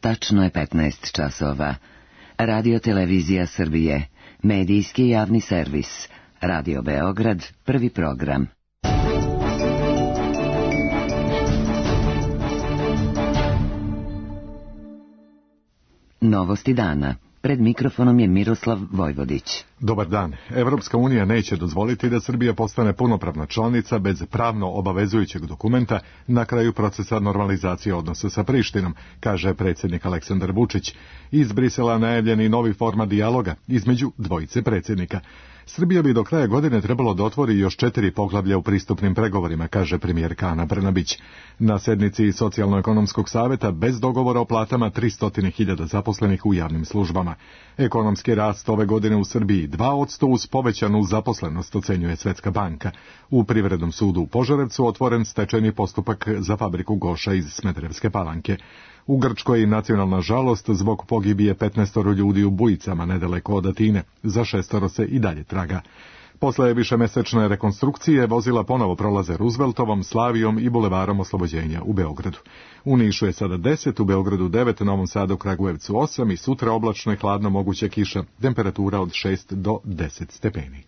Tačno je 15 časova. Radio Televizija Srbije, medijski javni servis, Radio Beograd, prvi program. Novosti dana. Pred mikrofonom je Miroslav Vojvodić. Dobar dan. Evropska unija neće dozvoliti da Srbija postane punopravna članica bez pravno obavezujućeg dokumenta na kraju procesa normalizacije odnosa sa Prištinom, kaže predsjednik Aleksandar Vučić. Iz Brisela najavljeni novi format dijaloga između dvojice predsjednika. Srbija bi do kraja godine trebalo da otvori još 4 poglavlja u pristupnim pregovorima, kaže premijerka Ana Brnabić. Na sednici Socijalno-ekonomskog saveta bez dogovora o platama 300.000 zaposlenih u javnim službama. Ekonomski rast ove godine u Srbiji 2% uz povećanu zaposlenost, ocenjuje Svetska banka. U Privrednom sudu u Požarevcu otvoren stečajni postupak za fabriku Goša iz Smederevske Palanke. U Grčkoj nacionalna žalost zbog pogibije 15 ljudi u Bujicama nedaleko od Atine. Za 6 se i dalje traga. Posle višemesečne rekonstrukcije vozila ponovo prolaze Rooseveltovom, Slavijom i Bulevarom Oslobođenja u Beogradu. U Nišu je sada 10, u Beogradu 9, Novom Sadu, Kragujevcu 8 i sutra oblačno i hladno, moguća kiša, temperatura od 6 do 10 stepeni.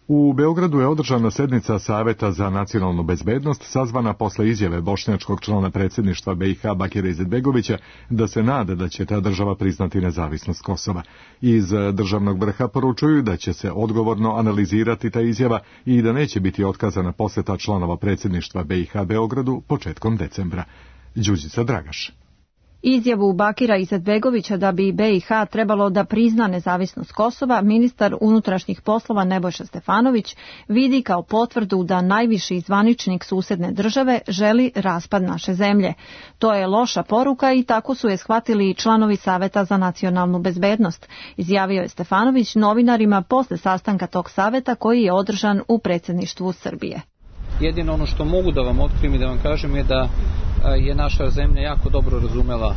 U Beogradu je održana sednica Saveta za nacionalnu bezbednost, sazvana posle izjave bošnjačkog člana predsjedništva BiH Bakira Izetbegovića da se nada da će ta država priznati nezavisnost Kosova. Iz državnog vrha poručuju da će se odgovorno analizirati ta izjava i da neće biti otkazana posjeta članova predsjedništva BiH Beogradu početkom decembra. Đurđica Dragaš. Izjavu Bakira Izetbegovića da bi BiH trebalo da prizna nezavisnost Kosova, ministar unutrašnjih poslova Nebojša Stefanović vidi kao potvrdu da najviši zvaničnik susedne države želi raspad naše zemlje. To je loša poruka i tako su je shvatili i članovi Saveta za nacionalnu bezbednost, izjavio je Stefanović novinarima posle sastanka tog saveta koji je održan u predsjedništvu Srbije. Jedino ono što mogu da vam otkrijem i da vam kažem je da je naša zemlja jako dobro razumela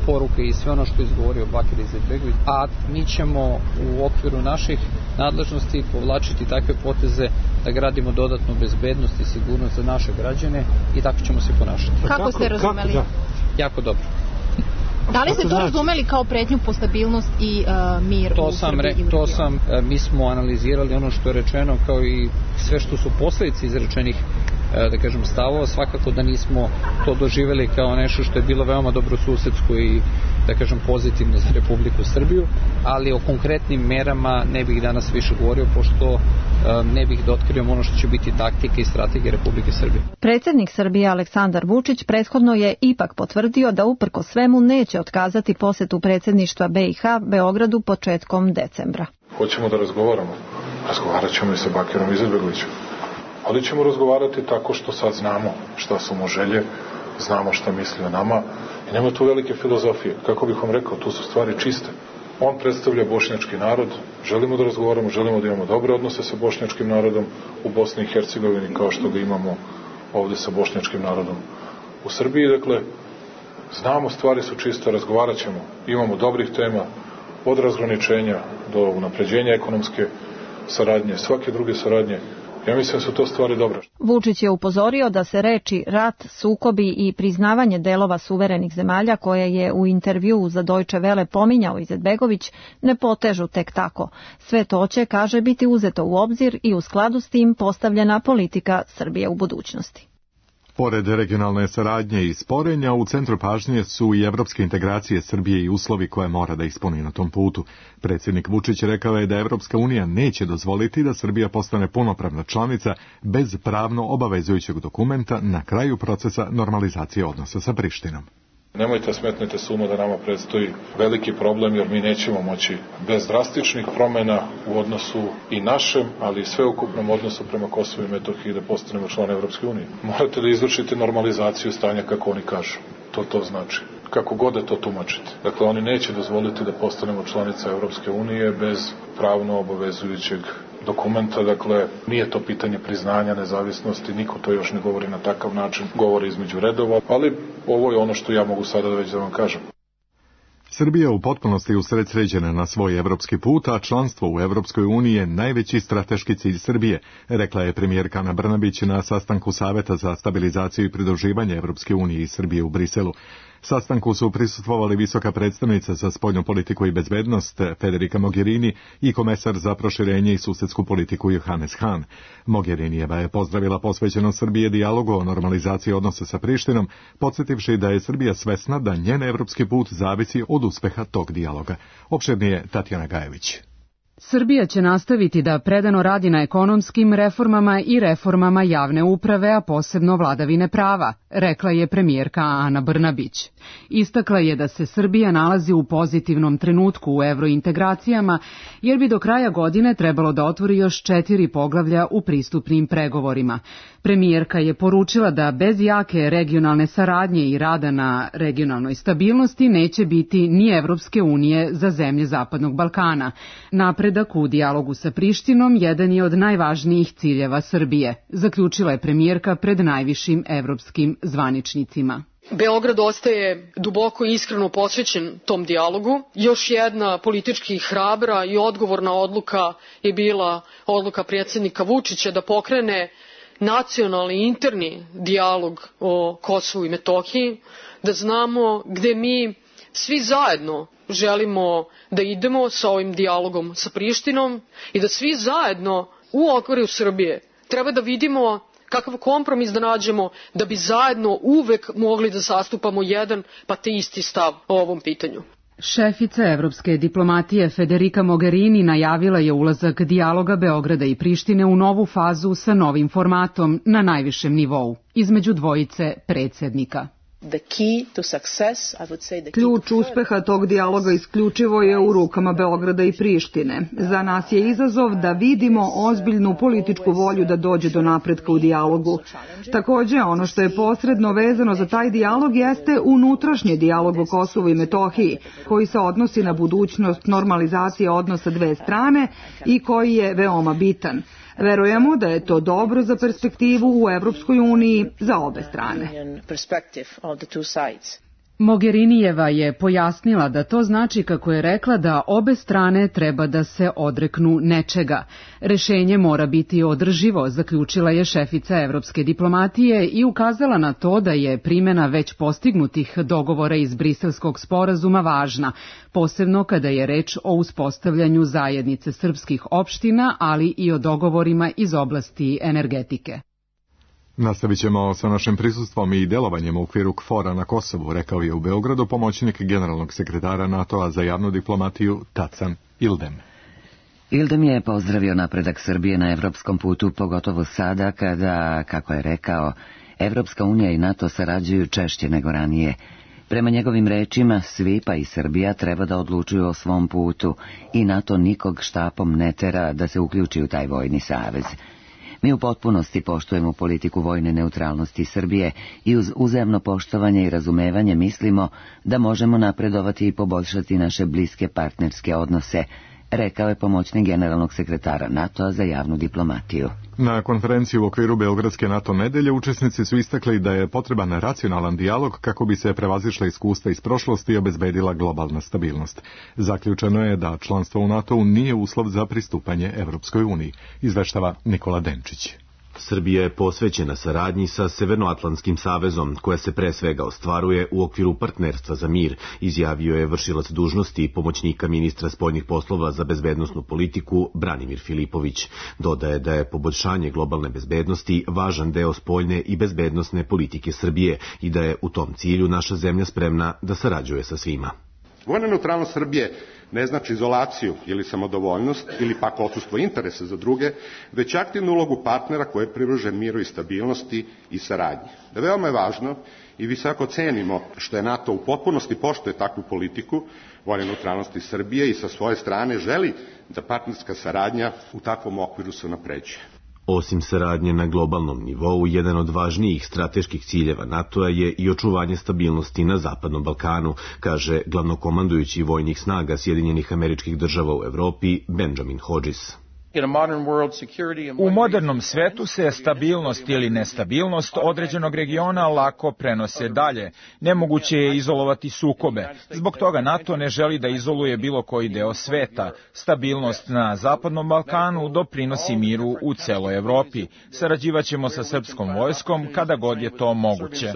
poruke i sve ono što je izgovorio Bakir Izetbegović, a mi ćemo u okviru naših nadležnosti povlačiti takve poteze da gradimo dodatnu bezbednost i sigurnost za naše građane i tako ćemo se ponašati. Kako ste razumeli? Jako dobro. Da li ste to razumeli kao pretnju po stabilnost i mir u Srbiji? Mi smo analizirali ono što je rečeno kao i sve što su posljedice izrečenih da kažem stavova, svakako da nismo to doživjeli kao nešto što je bilo veoma dobrosusedsko i da kažem pozitivno za Republiku Srbiju, ali o konkretnim merama ne bih danas više govorio pošto ne bih da otkrijem ono što će biti taktika i strategija Republike Srbije. Predsjednik Srbije Aleksandar Vučić prethodno je ipak potvrdio da uprkos svemu neće otkazati posjetu predsjedništva BiH Beogradu početkom decembra. Hoćemo da razgovaramo. Razgovarat ćemo i sa Bakirom Izetbegovićem. Ali ćemo razgovarati tako što sad znamo šta su mu želje, znamo šta misli o nama i nema tu velike filozofije. Kako bih vam rekao, tu su stvari čiste. On predstavlja bošnjački narod, želimo da razgovaramo, želimo da imamo dobre odnose sa bošnjačkim narodom u Bosni i Hercegovini kao što ga imamo ovdje sa bošnjačkim narodom u Srbiji. Dakle, znamo, stvari su čiste, razgovarat ćemo, imamo dobrih tema, od razgraničenja do unapređenja ekonomske saradnje, svake druge saradnje. Ja mislim da su to stvari dobre. Vučić je upozorio da se reči rat, sukobi i priznavanje delova suverenih zemalja koje je u intervjuu za Deutsche Welle pominjao Izetbegović ne potežu tek tako. Sve to će, kaže, biti uzeto u obzir i u skladu s tim postavljena politika Srbije u budućnosti. Pored regionalne saradnje i sporenja, u centru pažnje su i evropske integracije Srbije i uslovi koje mora da ispuni na tom putu. Predsjednik Vučić rekao je da Evropska unija neće dozvoliti da Srbija postane punopravna članica bez pravno obavezujućeg dokumenta na kraju procesa normalizacije odnosa sa Prištinom. Nemojte smetnete suma da nama predstoji veliki problem jer mi nećemo moći bez drastičnih promjena u odnosu i našem, ali i sveukupnom odnosu prema Kosovu i Metohiji da postanemo član Evropske unije. Morate da izvršite normalizaciju stanja kako oni kažu. To znači. Kako god da to tumačite. Dakle, oni neće dozvoliti da postanemo članica Evropske unije bez pravno obavezujućeg dokumenta, dakle, nije to pitanje priznanja nezavisnosti, niko to još ne govori na takav način, govori između redova, ali ovo je ono što ja mogu sada već da vam kažem. Srbija u potpunosti usredsređena na svoj evropski put, a članstvo u Evropskoj uniji je najveći strateški cilj Srbije, rekla je premijerka Ana Brnabić na sastanku Saveta za stabilizaciju i pridruživanje Evropske unije i Srbije u Briselu. Sastanku su prisustvovali visoka predstavnica za spoljnu politiku i bezbednost Federica Mogherini i komesar za proširenje i susedsku politiku Johannes Hahn. Mogherinijeva je pozdravila posvećenost Srbije dijalogu o normalizaciji odnosa sa Prištinom, podsjetivši da je Srbija svesna da njen evropski put zavisi od uspeha tog dijaloga. Opširnije Tatjana Gajević. Srbija će nastaviti da predano radi na ekonomskim reformama i reformama javne uprave, a posebno vladavine prava, rekla je premijerka Ana Brnabić. Istakla je da se Srbija nalazi u pozitivnom trenutku u evrointegracijama, jer bi do kraja godine trebalo da otvori još 4 poglavlja u pristupnim pregovorima. Premijerka je poručila da bez jake regionalne saradnje i rada na regionalnoj stabilnosti neće biti ni Evropske unije za zemlje Zapadnog Balkana. Napredak u dijalogu sa Prištinom jedan je od najvažnijih ciljeva Srbije, zaključila je premijerka pred najvišim evropskim zvaničnicima. Beograd ostaje duboko i iskreno posvećen tom dijalogu. Još jedna politički hrabra i odgovorna odluka je bila odluka predsjednika Vučića da pokrene nacionalni interni dijalog o Kosovu i Metohiji, da znamo gde mi svi zajedno želimo da idemo sa ovim dijalogom sa Prištinom i da svi zajedno u okviru Srbije treba da vidimo kakav kompromis da nađemo da bi zajedno uvek mogli da zastupamo jedan pa te isti stav o ovom pitanju. Šefica evropske diplomatije Federica Mogherini najavila je ulazak dijaloga Beograda i Prištine u novu fazu sa novim formatom na najvišem nivou, između dvojice predsjednika. Ključ uspeha tog dijaloga isključivo je u rukama Beograda i Prištine. Za nas je izazov da vidimo ozbiljnu političku volju da dođe do napretka u dijalogu. Također, ono što je posredno vezano za taj dijalog jeste unutrašnji dijalog o Kosovu i Metohiji, koji se odnosi na budućnost normalizacije odnosa dve strane i koji je veoma bitan. Verujemo da je to dobro za perspektivu u Evropskoj uniji za obe strane. Mogherinijeva je pojasnila da to znači, kako je rekla, da obe strane treba da se odreknu nečega. Rešenje mora biti održivo, zaključila je šefica evropske diplomatije i ukazala na to da je primjena već postignutih dogovora iz Briselskog sporazuma važna, posebno kada je reč o uspostavljanju zajednice srpskih opština, ali i o dogovorima iz oblasti energetike. Nastavit ćemo sa našim prisustvom i delovanjem u okviru KFOR-a na Kosovu, rekao je u Beogradu pomoćnik generalnog sekretara NATO-a za javnu diplomatiju Tacan Ildem. Ildem je pozdravio napredak Srbije na evropskom putu, pogotovo sada kada, kako je rekao, Evropska unija i NATO sarađuju češće nego ranije. Prema njegovim rečima, svi pa i Srbija treba da odlučuju o svom putu i NATO nikog štapom ne tera da se uključi u taj vojni savez. Mi u potpunosti poštujemo politiku vojne neutralnosti Srbije i uz uzajamno poštovanje i razumevanje mislimo da možemo napredovati i poboljšati naše bliske partnerske odnose, rekao je pomoćnik generalnog sekretara NATO-a za javnu diplomatiju. Na konferenciji u okviru Beogradske NATO nedelje učesnici su istakli da je potreban racionalan dijalog kako bi se prevazišla iskustva iz prošlosti i obezbedila globalna stabilnost. Zaključeno je da članstvo u NATO-u nije uslov za pristupanje Evropskoj uniji, izveštava Nikola Denčić. Srbija je posvećena saradnji sa Severnoatlantskim savezom, koja se pre svega ostvaruje u okviru partnerstva za mir, izjavio je vršilac dužnosti pomoćnika ministra spoljnih poslova za bezbednosnu politiku Branimir Filipović. Dodaje da je poboljšanje globalne bezbednosti važan deo spoljne i bezbednosne politike Srbije i da je u tom cilju naša zemlja spremna da sarađuje sa svima. Vojna neutralnost Srbije ne znači izolaciju ili samodovoljnost ili pak odsustvo interesa za druge, već aktivnu ulogu partnera koji je privržen miru i stabilnosti i saradnji. Veoma je važno i visoko cenimo što je NATO u potpunosti poštuje takvu politiku vojne neutralnosti Srbije i sa svoje strane želi da partnerska saradnja u takvom okviru se unapređuje. Osim saradnje na globalnom nivou, jedan od važnijih strateških ciljeva NATO-a je i očuvanje stabilnosti na Zapadnom Balkanu, kaže glavnokomandujući vojnih snaga Sjedinjenih Američkih Država u Evropi Benjamin Hodges. U modernom svetu se stabilnost ili nestabilnost određenog regiona lako prenose dalje. Nemoguće je izolovati sukobe. Zbog toga NATO ne želi da izoluje bilo koji deo sveta. Stabilnost na Zapadnom Balkanu doprinosi miru u celoj Evropi. Sarađivaćemo sa srpskom vojskom kada god je to moguće.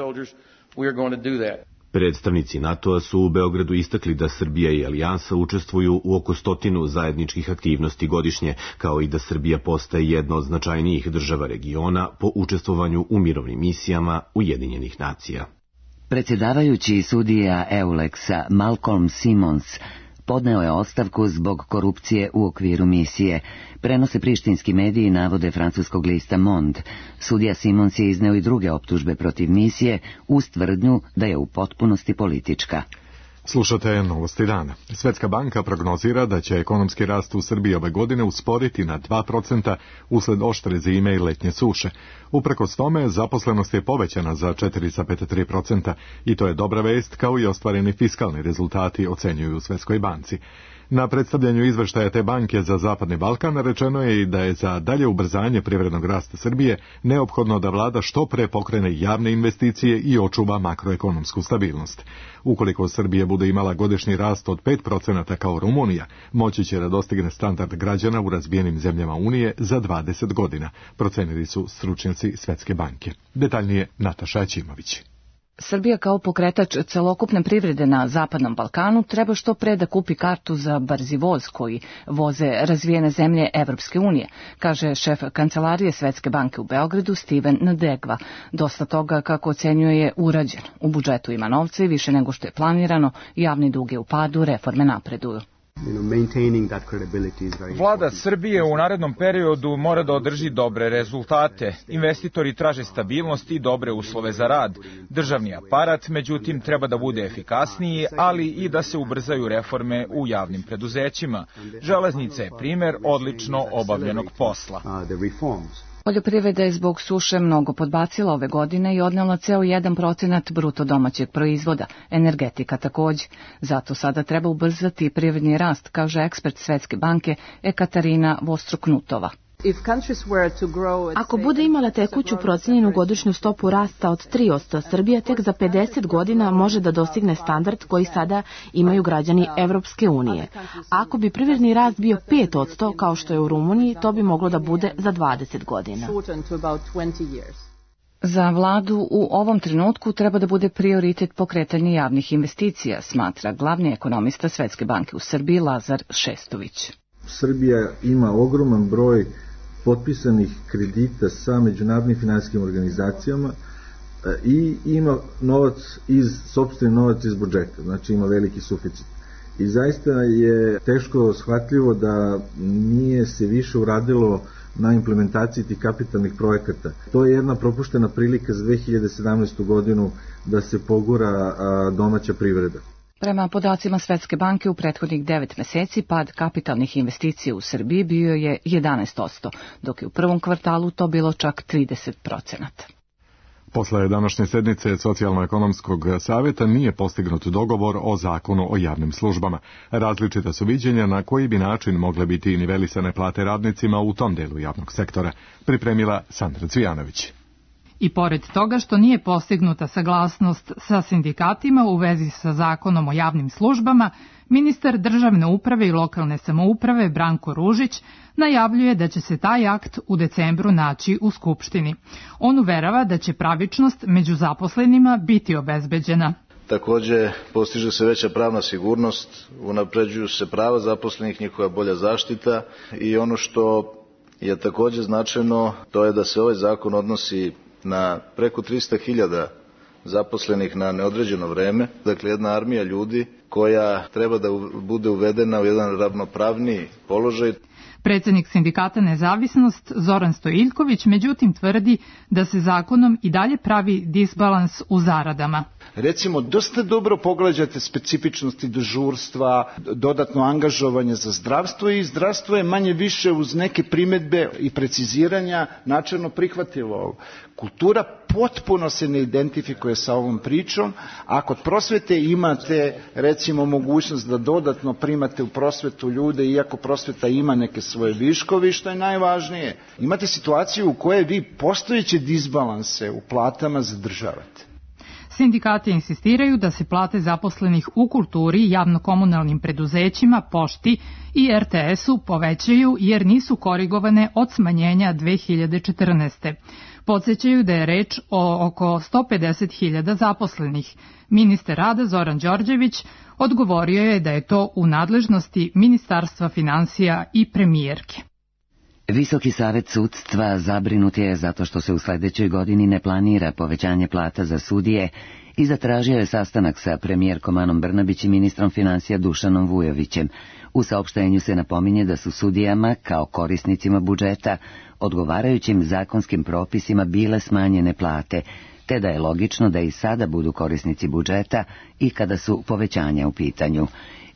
Predstavnici NATO-a su u Beogradu istakli da Srbija i Alijansa učestvuju u oko 100 zajedničkih aktivnosti godišnje, kao i da Srbija postaje jedna od značajnijih država regiona po učestvovanju u mirovnim misijama Ujedinjenih nacija. Predsjedavajući sudija Eulexa Malcolm Simons podneo je ostavku zbog korupcije u okviru misije. Prenose prištinski mediji navode francuskog lista Monde. Sudija Simons je izneo i druge optužbe protiv misije uz tvrdnju da je u potpunosti politička. Slušate Novosti dana. Svetska banka prognozira da će ekonomski rast u Srbiji ove godine usporiti na 2% usled oštre zime i letnje suše. Uprkos tome, zaposlenost je povećana za 4,3% i to je dobra vest, kao i ostvareni fiskalni rezultati, ocenjuju u Svetskoj banci. Na predstavljanju izveštaja te banke za Zapadni Balkan rečeno je i da je za dalje ubrzanje privrednog rasta Srbije neophodno da vlada što pre pokrene javne investicije i očuva makroekonomsku stabilnost. Ukoliko Srbija bude imala godišnji rast od 5% kao Rumunija, moći će da dostigne standard građana u razvijenim zemljama Unije za 20 godina, procenili su stručnjaci Svetske banke. Detaljnije Nataša Ćimović. Srbija kao pokretač celokupne privrede na Zapadnom Balkanu treba što pre da kupi kartu za brzi voz koji voze razvijene zemlje Evropske unije, kaže šef kancelarije Svetske banke u Beogradu Steven Ndegva. Dosta toga, kako ocenjuje, je urađeno. U budžetu ima novca i više nego što je planirano, javni dug je u padu, reforme napreduju. Vlada Srbije u narednom periodu mora da održi dobre rezultate. Investitori traže stabilnost i dobre uslove za rad. Državni aparat, međutim, treba da bude efikasniji, ali i da se ubrzaju reforme u javnim preduzećima. Železnica je primer odlično obavljenog posla. Poljoprivreda je zbog suše mnogo podbacila ove godine i odnela ceo 1% bruto domaćeg proizvoda, energetika takođe. Zato sada treba ubrzati privredni rast, kaže ekspert Svetske banke Ekaterina Vostroknutova. Ako bude imala tekuću procenjenu godišnju stopu rasta od 3%, Srbija tek za 50 godina može da dostigne standard koji sada imaju građani Evropske unije. Ako bi privredni rast bio 5%, kao što je u Rumuniji, to bi moglo da bude za 20 godina. Za vladu u ovom trenutku treba da bude prioritet pokretanje javnih investicija, smatra glavni ekonomista Svetske banke u Srbiji Lazar Šestović. Srbija ima ogroman broj potpisanih kredita sa međunarodnim finansijskim organizacijama i ima sopstveni novac iz budžeta, znači ima veliki suficit. I zaista je teško shvatljivo da nije se više uradilo na implementaciji tih kapitalnih projekata. To je jedna propuštena prilika za 2017. godinu da se pogura domaća privreda. Prema podacima Svetske banke u prethodnih 9 meseci pad kapitalnih investicija u Srbiji bio je 11%, dok je u prvom kvartalu to bilo čak 30%. Posle današnje sednice Socijalno-ekonomskog savjeta nije postignut dogovor o zakonu o javnim službama. Različita su viđenja na koji bi način mogle biti nivelisane plate radnicima u tom delu javnog sektora, pripremila Sandra Cvijanović. I pored toga što nije postignuta saglasnost sa sindikatima u vezi sa zakonom o javnim službama, ministar državne uprave i lokalne samouprave Branko Ružić najavljuje da će se taj akt u decembru naći u Skupštini. On uverava da će pravičnost među zaposlenima biti obezbeđena. Takođe, postiže se veća pravna sigurnost, unapređuju se prava zaposlenih, njihova bolja zaštita i ono što je takođe značajno, to je da se ovaj zakon odnosi na preko 300.000 zaposlenih na neodređeno vreme, dakle jedna armija ljudi koja treba da bude uvedena u jedan ravnopravniji položaj. Predsednik sindikata Nezavisnost Zoran Stojiljković međutim tvrdi da se zakonom i dalje pravi disbalans u zaradama. Recimo, dosta dobro pogađate specifičnosti dežurstva, dodatno angažovanje za zdravstvo i zdravstvo je manje više uz neke primedbe i preciziranja načelno prihvatljivo. Kultura potpuno se ne identifikuje sa ovom pričom, a kod prosvete imate recimo mogućnost da dodatno primate u prosvetu ljude, iako prosveta ima neke svoje viškovi, što je najvažnije. Imate situaciju u kojoj vi postojeće disbalanse u platama zadržavate. Sindikati insistiraju da se plate zaposlenih u kulturi, javno-komunalnim preduzećima, pošti i RTS-u povećaju jer nisu korigovane od smanjenja 2014. Podsećaju da je reč o oko 150.000 zaposlenih. Ministar rada Zoran Đorđević odgovorio je da je to u nadležnosti Ministarstva finansija i premijerke. Visoki savet sudstva zabrinut je zato što se u sledećoj godini ne planira povećanje plata za sudije i zatražio je sastanak sa premijerkom Anom Brnabić i ministrom finansija Dušanom Vujovićem. U saopštenju se napominje da su sudijama, kao korisnicima budžeta, odgovarajućim zakonskim propisima bile smanjene plate, te da je logično da i sada budu korisnici budžeta i kada su povećanja u pitanju.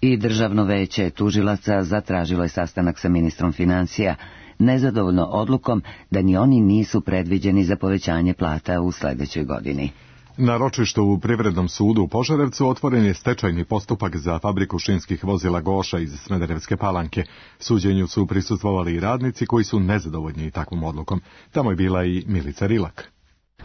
I Državno veće tužilaca zatražilo je sastanak sa ministrom finansija, nezadovoljno odlukom da ni oni nisu predviđeni za povećanje plata u sledećoj godini. Na ročištu u Privrednom sudu u Požarevcu otvoren je stečajni postupak za fabriku šinskih vozila Goša iz Smederevske Palanke. Suđenju su prisustvovali i radnici koji su nezadovoljni takvom odlukom. Tamo je bila i Milica Rilak.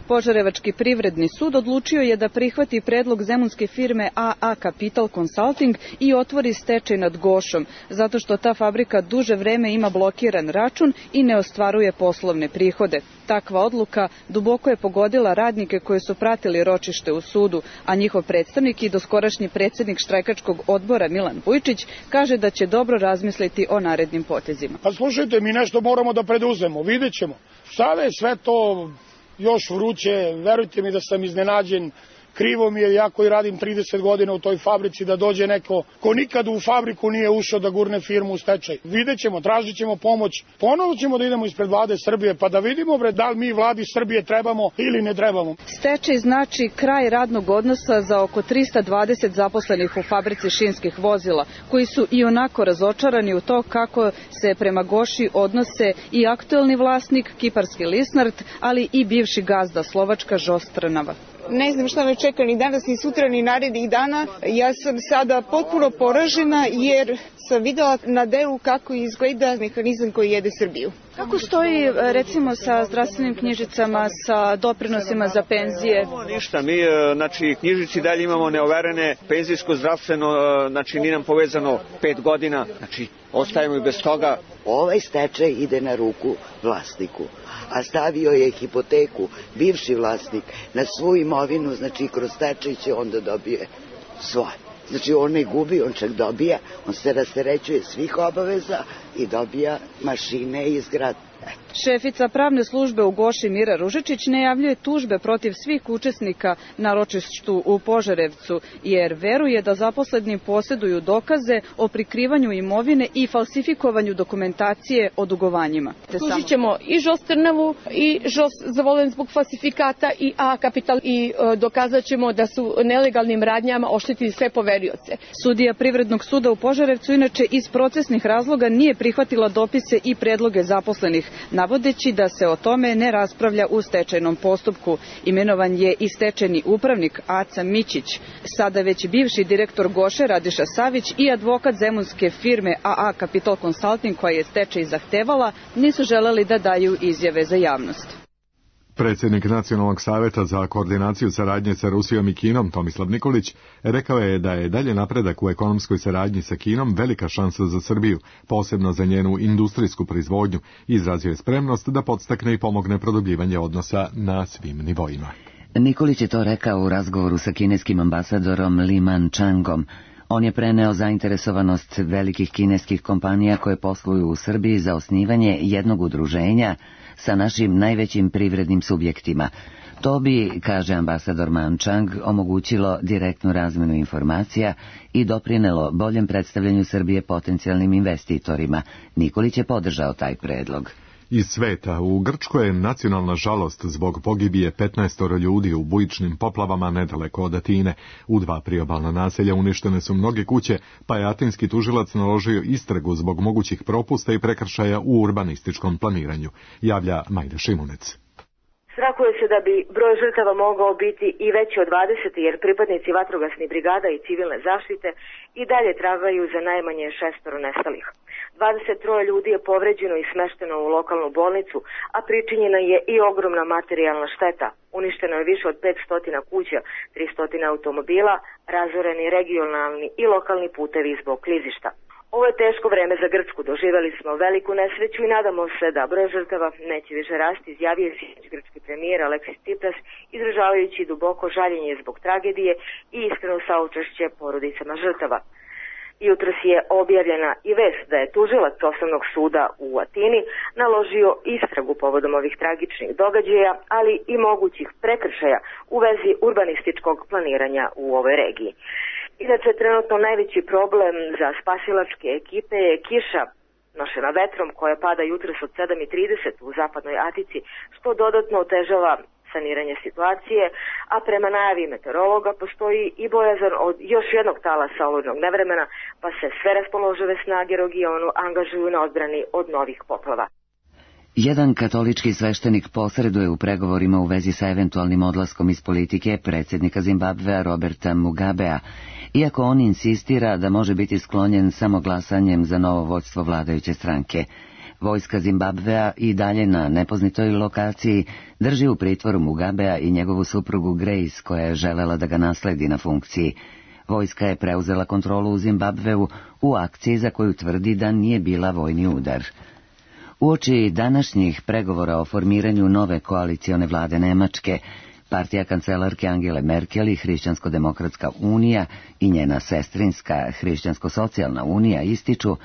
Požarevački privredni sud odlučio je da prihvati predlog zemunske firme AA Capital Consulting i otvori stečaj nad Gošom, zato što ta fabrika duže vreme ima blokiran račun i ne ostvaruje poslovne prihode. Takva odluka duboko je pogodila radnike koji su pratili ročište u sudu, a njihov predstavnik i doskorašnji predsednik štrajkačkog odbora Milan Vujčić kaže da će dobro razmisliti o narednim potezima. Pa slušajte, mi nešto moramo da preduzemo, vidjet ćemo. Sada je sve to još vruće, verujte mi da sam iznenađen, krivo mi je, ja koji radim 30 godina u toj fabrici, da dođe neko ko nikad u fabriku nije ušao da gurne firmu u stečaj. Vidjet ćemo, tražit ćemo pomoć, ponovo ćemo da idemo ispred vlade Srbije, pa da vidimo da li mi vladi Srbije trebamo ili ne trebamo. Stečaj znači kraj radnog odnosa za oko 320 zaposlenih u fabrici šinskih vozila, koji su i onako razočarani u to kako se prema Goši odnose i aktuelni vlasnik, kiparski Lisnart, ali i bivši gazda Slovačka Žostrnava. Ne znam šta me čeka ni danas, ni sutra, ni narednih dana. Ja sam sada potpuno poražena jer sam videla na delu kako izgleda mehanizam koji jede Srbiju. Kako stoji recimo sa zdravstvenim knjižicama, sa doprinosima za penzije? Ništa, mi knjižici dalje imamo neoverene, penzijsko, zdravstveno, nije nam povezano 5 godina, ostajemo i bez toga. Ovaj stečaj ide na ruku vlasniku, a stavio je hipoteku bivši vlasnik na svu imovinu, kroz stečaj će onda dobije svoje. On ne gubi, on čak dobija, on se rasterećuje svih obaveza i dobija mašine i zgrade. Šefica pravne službe u Goši Mira Ružičić najavljuje tužbe protiv svih učesnika na ročištu u Požarevcu, jer veruje da zaposleni posjeduju dokaze o prikrivanju imovine i falsifikovanju dokumentacije o dugovanjima. Tužit ćemo i Žostrnavu i Žos zavolen zbog falsifikata i A Capital i dokazat ćemo da su nelegalnim radnjama oštetili sve poverioce. Sudija Privrednog suda u Požarevcu inače iz procesnih razloga nije prihvatila dopise i predloge zaposlenih, navodeći da se o tome ne raspravlja u stečajnom postupku. Imenovan je i stečajni upravnik Aca Mićić, sada već bivši direktor Goše Radiša Savić i advokat zemunske firme AA Capital Consulting koja je stečaj zahtevala, nisu želeli da daju izjave za javnost. Predsjednik Nacionalnog saveta za koordinaciju saradnje sa Rusijom i Kinom, Tomislav Nikolić, rekao je da je dalje napredak u ekonomskoj saradnji sa Kinom velika šansa za Srbiju, posebno za njenu industrijsku proizvodnju, i izrazio je spremnost da podstakne i pomogne produbljivanje odnosa na svim nivoima. Nikolić je to rekao u razgovoru sa kineskim ambasadorom Li Man-changom. On je preneo zainteresovanost velikih kineskih kompanija koje posluju u Srbiji za osnivanje jednog udruženja sa našim najvećim privrednim subjektima. To bi, kaže ambasador Man-chang, omogućilo direktnu razmenu informacija i doprinelo boljem predstavljanju Srbije potencijalnim investitorima. Nikolić je podržao taj predlog. Iz sveta, u Grčkoj je nacionalna žalost zbog pogibije 15 ljudi u bujičnim poplavama nedaleko od Atine. U 2 priobalna naselja uništene su mnoge kuće, pa je atinski tužilac naložio istragu zbog mogućih propusta i prekršaja u urbanističkom planiranju, javlja Majda Šimunec. Strah Očekuje se da bi broj žrtava mogao biti i veći od 20, jer pripadnici vatrogasnih brigada i civilne zaštite i dalje tragaju za najmanje 6 nestalih. 23 ljudi je povređeno i smešteno u lokalnu bolnicu, a pričinjena je i ogromna materijalna šteta. Uništeno je više od 500 kuća, 300 automobila, razoreni regionalni i lokalni putevi zbog klizišta. Ovo je teško vreme za Grčku, doživjeli smo veliku nesreću i nadamo se da broj žrtava neće više rasti, izjavio je sinoć grčki premijer Aleksis Tsipras, izražavajući duboko žaljenje zbog tragedije i iskreno saučešće porodicama žrtava. Jutros je objavljena i vest da je tužilac Osnovnog suda u Atini naložio istragu povodom ovih tragičnih događaja, ali i mogućih prekršaja u vezi urbanističkog planiranja u ovoj regiji. Inače, trenutno najveći problem za spasilačke ekipe je kiša nošena vetrom koja pada jutros od 7:30 u zapadnoj Atici, što dodatno otežava saniranje situacije, a prema najavi meteorologa postoji i bojazan od još jednog talasa olujnog nevremena, pa se sve raspoložive snage regionu angažuju na odbrani od novih poplava. Jedan katolički sveštenik posreduje u pregovorima u vezi sa eventualnim odlaskom iz politike predsjednika Zimbabvea Roberta Mugabea, iako on insistira da može biti sklonjen samo glasanjem za novo vođstvo vladajuće stranke. Vojska Zimbabvea i dalje na nepoznatoj lokaciji drži u pritvoru Mugabea i njegovu suprugu Grace, koja je želela da ga nasledi na funkciji. Vojska je preuzela kontrolu u Zimbabveu u akciji za koju tvrdi da nije bila vojni udar. Uoči današnjih pregovora o formiranju nove koalicione vlade Nemačke, partija kancelarke Angele Merkel i Hrišćansko-demokratska unija i njena sestrinska Hrišćansko-socijalna unija ističu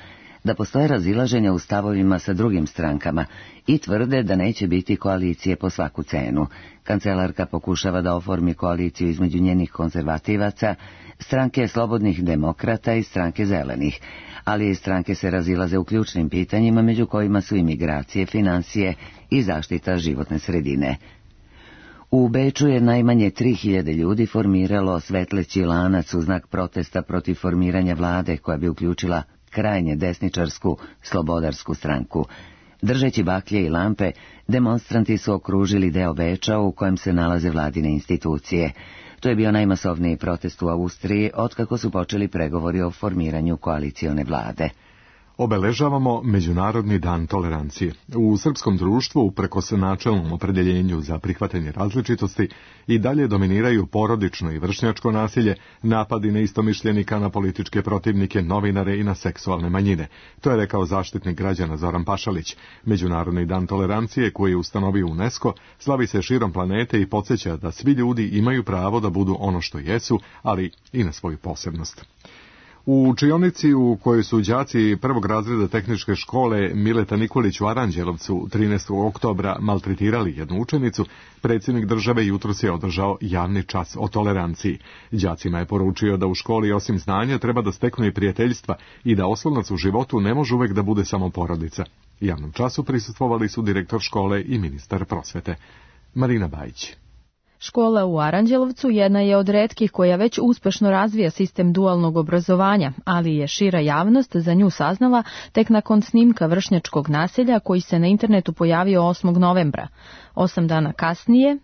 da postoje razilaženja u stavovima sa drugim strankama i tvrde da neće biti koalicije po svaku cenu. Kancelarka pokušava da oformi koaliciju između njenih konzervativaca, stranke slobodnih demokrata i stranke zelenih, ali i stranke se razilaze u ključnim pitanjima, među kojima su imigracije, financije i zaštita životne sredine. U Beču je najmanje 3000 ljudi formiralo svetleći lanac u znak protesta protiv formiranja vlade koja bi uključila krajnje desničarsku slobodarsku stranku. Držeći baklje i lampe, demonstranti su okružili deo Beča u kojem se nalaze vladine institucije. To je bio najmasovniji protest u Austriji otkako su počeli pregovori o formiranju koalicione vlade. Obeležavamo Međunarodni dan tolerancije. U srpskom društvu, uprkos načelnom opredjeljenju za prihvatanje različitosti, i dalje dominiraju porodično i vršnjačko nasilje, napadi neistomišljenika na političke protivnike, novinare i na seksualne manjine. To je rekao zaštitnik građana Zoran Pašalić. Međunarodni dan tolerancije, koji je ustanovio UNESCO, slavi se širom planete i podsjeća da svi ljudi imaju pravo da budu ono što jesu, ali i na svoju posebnost. U učionici u kojoj su đaci prvog razreda tehničke škole Mileta Nikolić u Aranđelovcu 13. oktobra maltretirali jednu učenicu, predsjednik države jutros je održao javni čas o toleranciji. Đacima je poručio da u školi osim znanja treba da steknu i prijateljstva i da oslonac u životu ne može uvek da bude samo porodica. Javnom času prisustvovali su direktor škole i ministar prosvete. Marina Bajić. Škola u Aranđelovcu jedna je od retkih koja već uspešno razvija sistem dualnog obrazovanja, ali je šira javnost za nju saznala tek nakon snimka vršnjačkog nasilja koji se na internetu pojavio 8. novembra. 8 dana kasnije,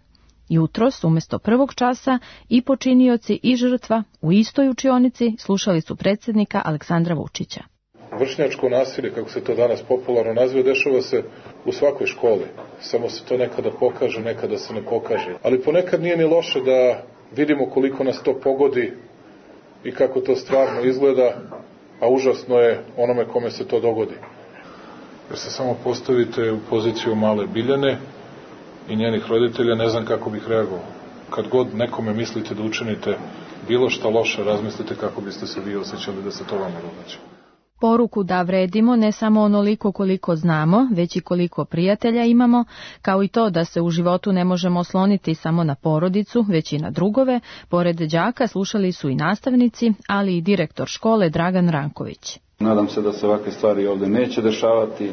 jutros, umjesto prvog časa, i počinioci i žrtva u istoj učionici slušali su predsjednika Aleksandra Vučića. Vršnjačko nasilje, kako se to danas popularno naziva, dešava se u svakoj školi. Samo se to nekada pokaže, nekada se ne pokaže. Ali ponekad nije ni loše da vidimo koliko nas to pogodi i kako to stvarno izgleda, a užasno je onome kome se to dogodi. Jer se samo postavite u poziciju male Biljane i njenih roditelja, ne znam kako bih reagovao. Kad god nekome mislite da učinite bilo šta loše, razmislite kako biste se vi osjećali da se to vama događa. Poruku da vredimo ne samo onoliko koliko znamo, već i koliko prijatelja imamo, kao i to da se u životu ne možemo osloniti samo na porodicu, već i na drugove, pored đaka slušali su i nastavnici, ali i direktor škole Dragan Ranković. Nadam se da se ovakve stvari ovdje neće dešavati,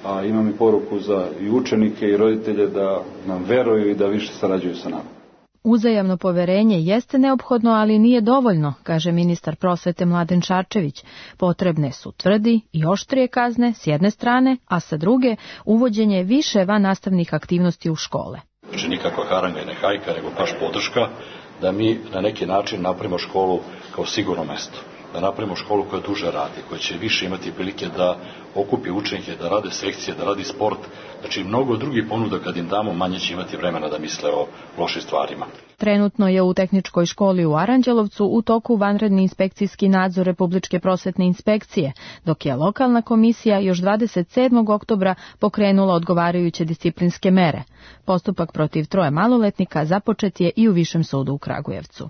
a imam i poruku za i učenike i roditelje da nam veruju i da više sarađuju sa nama. Uzajamno poverenje jeste neophodno, ali nije dovoljno, kaže ministar prosvete Mladen Šarčević. Potrebne su tvrdi i oštrije kazne s jedne strane, a sa druge uvođenje više vannastavnih aktivnosti u škole. Znači nikakva haranga i ne hajka, nego baš podrška da mi na neki način napravimo školu kao sigurno mesto. Da napravimo školu koja duže radi, koja će više imati prilike da okupi učenike, da rade sekcije, da radi sport. Znači mnogo drugih ponuda kad im damo, manje će imati vremena da misle o lošim stvarima. Trenutno je u tehničkoj školi u Aranđelovcu u toku vanredni inspekcijski nadzor Republičke prosvetne inspekcije, dok je lokalna komisija još 27. oktobra pokrenula odgovarajuće disciplinske mere. Postupak protiv 3 maloletnika započet je i u Višem sudu u Kragujevcu.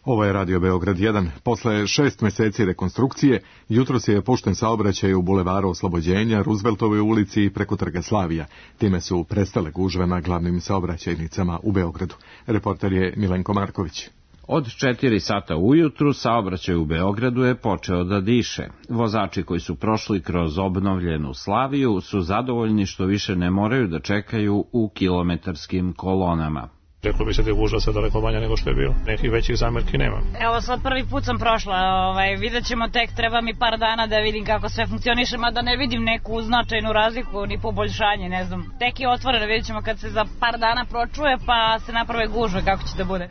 Ovo je Radio Beograd 1. Posle 6 meseci rekonstrukcije, jutros je pušten saobraćaj u bulevaru Oslobođenja, Rooseveltovoj ulici i preko Trga Slavija. Time su prestale gužve na glavnim saobraćajnicama u Beogradu. Reporter je Milenko Marković. Od 4 sata ujutru saobraćaj u Beogradu je počeo da diše. Vozači koji su prošli kroz obnovljenu Slaviju su zadovoljni što više ne moraju da čekaju u kilometarskim kolonama. Reklo bi se da je gužva sad daleko manja nego što je bilo. Nekih većih zamerki nema. Evo sad prvi put sam prošla, vidjet ćemo tek, treba mi par dana da vidim kako sve funkcioniše, mada ne vidim neku značajnu razliku ni poboljšanje, ne znam. Tek je otvoreno, vidjet ćemo kad se za par dana pročuje pa se naprave gužve kako će da bude.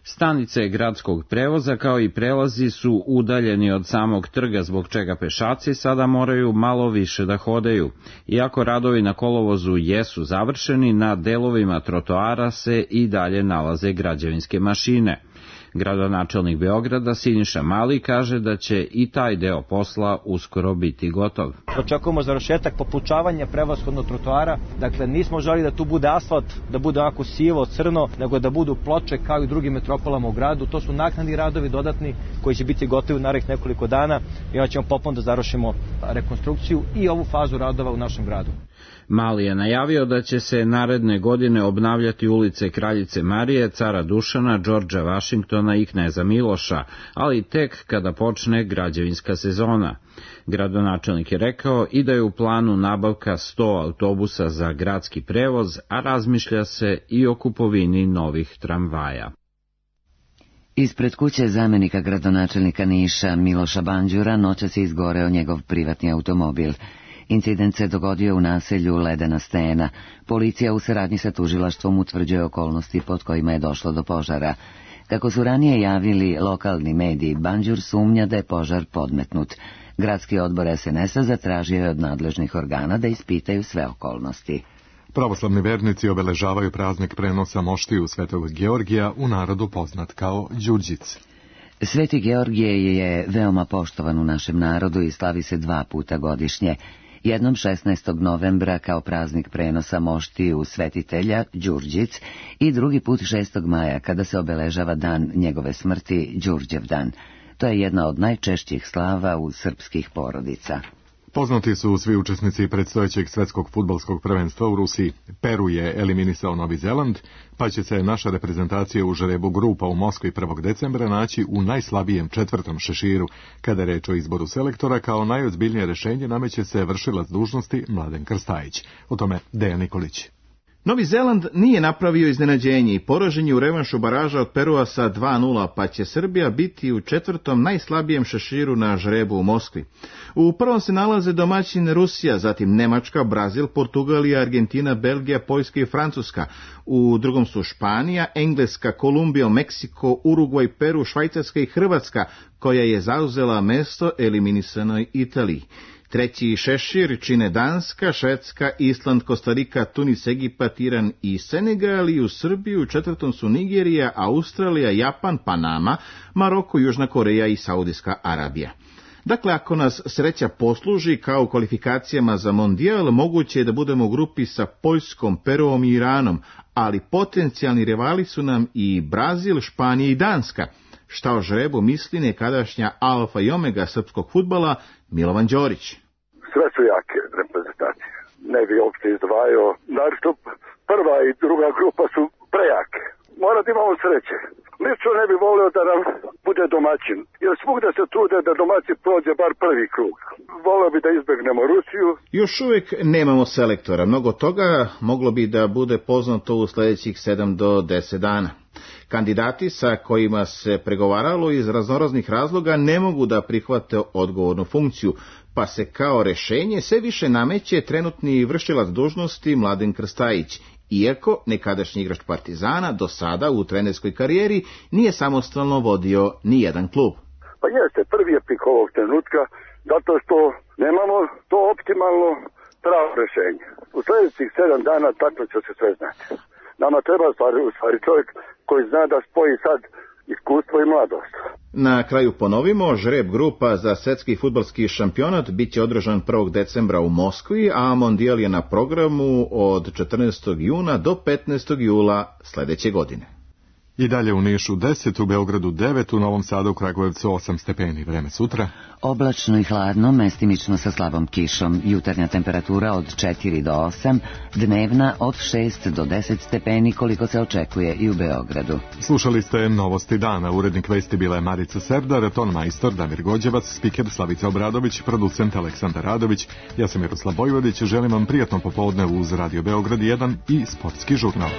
Stanice gradskog prevoza kao i prelazi su udaljeni od samog trga, zbog čega pešaci sada moraju malo više da hodaju. Iako radovi na kolovozu jesu završeni, na delovima trotoara se i dalje nalaze građevinske mašine. Gradonačelnik Beograda Siniša Mali kaže da će i taj deo posla uskoro biti gotov. Očekujemo završetak popučavanja prevashodno trotoara, dakle nismo želi da tu bude asfalt, da bude onako sivo, crno, nego da budu ploče kao i drugim metropolama u gradu. To su naknadni radovi dodatni koji će biti gotovi u narednih nekoliko dana i onda ćemo popolno da završimo rekonstrukciju i ovu fazu radova u našem gradu. Mali je najavio da će se naredne godine obnavljati ulice Kraljice Marije, Cara Dušana, Džordža Vašingtona i Kneza Miloša, ali tek kada počne građevinska sezona. Gradonačelnik je rekao i da je u planu nabavka 100 autobusa za gradski prevoz, a razmišlja se i o kupovini novih tramvaja. Ispred kuće zamenika gradonačelnika Niša Miloša Banđura noćas je izgoreo njegov privatni automobil. Incident se dogodio u naselju Ledena stena. Policija u saradnji sa tužilaštvom utvrđuje okolnosti pod kojima je došlo do požara. Kako su ranije javili lokalni mediji, Banđur sumnja da je požar podmetnut. Gradski odbor SNS-a zatražio je od nadležnih organa da ispitaju sve okolnosti. Pravoslavni vernici obeležavaju praznik prenosa moštiju Svetog Georgija, u narodu poznat kao Đurđic. Sveti Georgije je veoma poštovan u našem narodu i slavi se 2 puta godišnje. Jednom 16. novembra kao praznik prenosa moštiju svetitelja Đurđic i drugi put 6. maja kada se obeležava dan njegove smrti, Đurđev dan. To je jedna od najčešćih slava u srpskih porodica. Poznati su svi učesnici predstojećeg svetskog fudbalskog prvenstva u Rusiji. Peru je eliminisao Novi Zeland, pa će se naša reprezentacija u žrebu grupa u Moskvi 1. decembra naći u najslabijem 4. šeširu. Kada je reč o izboru selektora, kao najozbiljnije rešenje nameće se vršilac dužnosti Mladen Krstajić. O tome Dejan Nikolić. Novi Zeland nije napravio iznenađenje i poražen je u revanšu baraža od Perua sa 2:0, pa će Srbija biti u 4. najslabijem šeširu na žrebu u Moskvi. U prvom se nalaze domaćin Rusija, zatim Nemačka, Brazil, Portugalija, Argentina, Belgija, Poljska i Francuska. U drugom su Španija, Engleska, Kolumbija, Meksiko, Urugvaj, Peru, Švajcarska i Hrvatska, koja je zauzela mesto eliminisanoj Italiji. Treći šešir čine Danska, Švedska, Island, Kostarika, Tunis, Egipat, Iran i Senegal, i u Srbiju u 4. su Nigerija, Australija, Japan, Panama, Maroko, Južna Koreja i Saudijska Arabija. Dakle, ako nas sreća posluži kao u kvalifikacijama za mondijal, moguće je da budemo u grupi sa Poljskom, Peruom i Iranom, ali potencijalni rivali su nam i Brazil, Španija i Danska. Šta o žrebu misli nekadašnja alfa i omega srpskog fudbala Milovan Đorić. Sve su jake reprezentacije. Ne bi uopšte izdvajao. Naravno, prva i druga grupa su prejake. Mora da imamo sreće. Lično ne bi volio da nam bude domaćin. Jer svugde se trude da domaćin prođe bar prvi krug. Volio bi da izbegnemo Rusiju. Još uvijek nemamo selektora. Mnogo toga moglo bi da bude poznato u sljedećih 7 do 10 dana. Kandidati sa kojima se pregovaralo iz raznoraznih razloga ne mogu da prihvate odgovornu funkciju, pa se kao rešenje sve više nameće trenutni vršilac dužnosti Mladen Krstajić. iako nekadašnji igrač Partizana do sada u trenerskoj karijeri nije samostalno vodio ni jedan klub. Pa jeste, prvi je pik ovog trenutka, zato što nemamo to optimalno pravo rešenje. U sljedećih 7 dana tačno će se sve znati. Nama treba u stvari čovjek koji zna da spoji sad iskustvo i mladost. Na kraju ponovimo, žreb grupa za svetski fudbalski šampionat bit će održan 1. decembra u Moskvi, a mondijal je na programu od 14. juna do 15. jula sljedeće godine. I dalje u Nišu 10, u Beogradu 9, u Novom Sadu, u Kragujevcu 8 stepeni. Vreme sutra? Oblačno i hladno, mestimično sa slabom kišom. Jutarnja temperatura od 4 do 8, dnevna od 6 do 10 stepeni, koliko se očekuje i u Beogradu. Slušali ste Novosti dana. Urednik vesti bila je Marica Serdar, ton majstor Damir Gođevac, spiker Slavica Obradović, producent Aleksandar Radović. Ja sam Miroslav Vojvodić, želim vam prijatno popodne uz Radio Beograd 1 i sportski žurnal.